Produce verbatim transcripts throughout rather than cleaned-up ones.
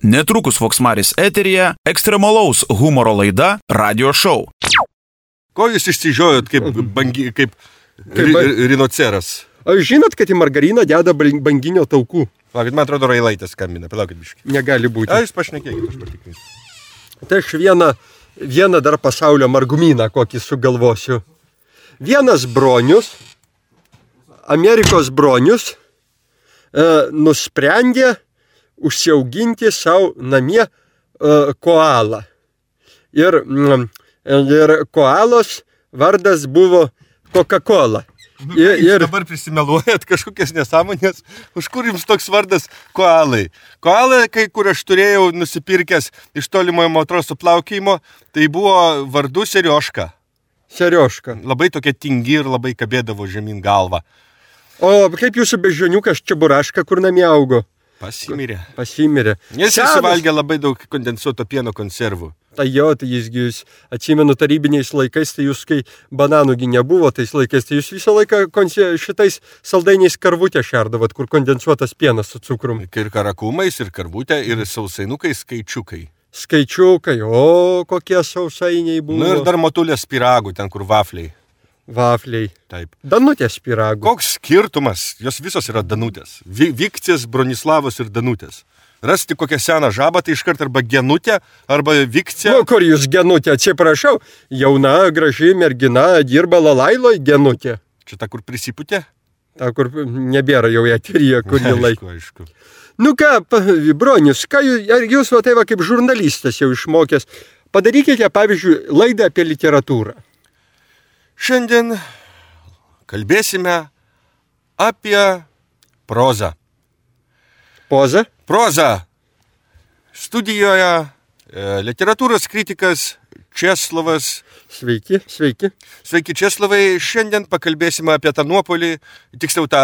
Netrukus Voksmaris eteryje ekstremalaus humoro laida Radio Show. Ko jūs išsižiojot kaip, bangi, kaip ri, rinoceras? Ar žinot, kad į margariną deda banginio taukų? Palaukit, man atrodo, Railaitės skambina. Palaukit biškį. Negali būti. A, jūs pašnekėkit, aš patikrinsiu. Tai aš vieną, vieną dar pasaulio margumyną kokį sugalvosiu. Vienas bronius, Amerikos bronius, e, nusprendė užsiauginti savo namie e, koalą. Ir, ir koalos vardas buvo Coca-Cola. Nu, ir, ir dabar prisimeluojat kažkokias nesąmonės, už kur jums toks vardas koalai. Koalai, kai kur aš turėjau nusipirkęs iš tolimojo motroso plaukėjimo, tai buvo vardu Serioška. Serioška. Labai tokia tingi ir labai kabėdavo žemyn galvą. O kaip jūsų beždžioniukas Čeburaška, kur namie augo? Pasimirė. Pasimirė. Jis suvalgė labai daug kondensuoto pieno konservų. Tai jo, tai jisgi jūs, atsimenu, tarybiniais laikais, tai jūs, kai bananųgi nebuvo tais laikais, tai jūs visą laiką konse, šitais saldainiais karvutę šerdavot, kur kondensuotas pienas su cukrum. Ir karakumais, ir karvutė, ir sausainukai, skaičiukai. Skaičiukai, o kokie sausainiai buvo. Nu ir dar motulės pyragų, ten kur vafliai. Vafliai. Taip. Danutės pyragų. Koks skirtumas? Jos visos yra Danutės. Vikcės, Bronislavos ir Danutės. Rasti kokią seną žabą, tai iškart arba Genutė, arba Vikcė. Nu, kur jūs Genutė, atsiprašau, jauna, graži mergina, dirba Lalailoj Genutė. Čia ta, kur prisiputė? Ta, kur nebėra jau eteryje, kurį laiką. Aišku, aišku. Nu ką, bronius, ką jūs, ar jūs va tai va kaip žurnalistas jau išmokęs, padarykite, pavyzdžiui, laidą apie literatūrą. Šiandien kalbėsime apie prozą. Poza? Proza. Studijoje e, literatūros kritikas Česlovas. Sveiki, sveiki. Sveiki, Česlovai. Šiandien pakalbėsime apie tą nuopolį, tiksliau tą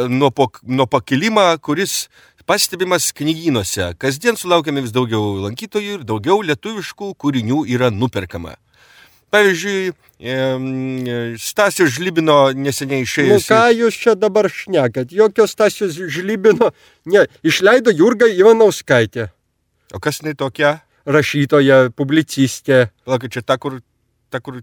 nuo, nuo pakilimą, kuris pastebimas knygynuose. Kasdien sulaukiame vis daugiau lankytojų ir daugiau lietuviškų kūrinių yra nuperkama. Pavyzdžiui, Stasio Žlibino neseniai išėjus. Nu ką jūs čia dabar šnekat? Jokio Stasio Žlibino, ne, išleido Jurga Ivanauskaitė. O kas jinai tokia? Rašytoja, publicistė. Palauk, čia ta, kur, ta, kur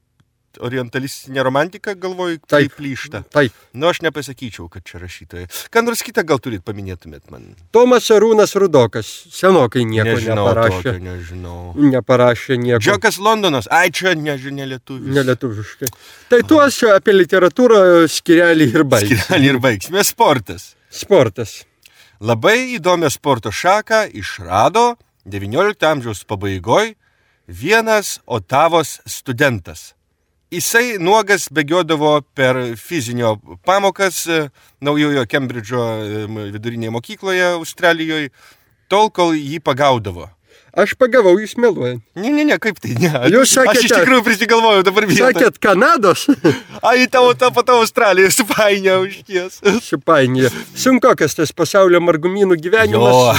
orientalistinė romantika, galvoju, taip plyšta. Taip. Nu, aš nepasakyčiau, kad čia rašytoja. Ką nors kitą gal turit paminėtumėt man? Tomas Arūnas Rudokas. Senokai nieko nežinau, neparašė. Tokio, nežinau. Neparašė nieko. Džokas Londonas. Ai, čia nežinia lietuvis. Nelietuviškai. Tai tuos apie literatūrą skirelį ir baigsime. Skirelį ir baigsime. Sportas. Sportas. Labai įdomią sporto šaką išrado devyniolikto amžiaus pabaigoj vienas Otavos studentas. Jisai nuogas bėgiodavo per fizinio pamokas naujojo Kembridžo vidurinėje mokykloje Australijoje, tol, kol jį pagaudavo. Aš pagavau, jūs meluojant. Ne, ne, ne, kaip tai, ne. Jūs sakėte, aš iš tikrųjų prisigalvojau dabar vietą. Sakėt Kanados? Ai, tavo tą patą Australiją supainėjo už ties. Supainėjo. Sunkokas tas pasaulio margumynų gyvenimas. Jo.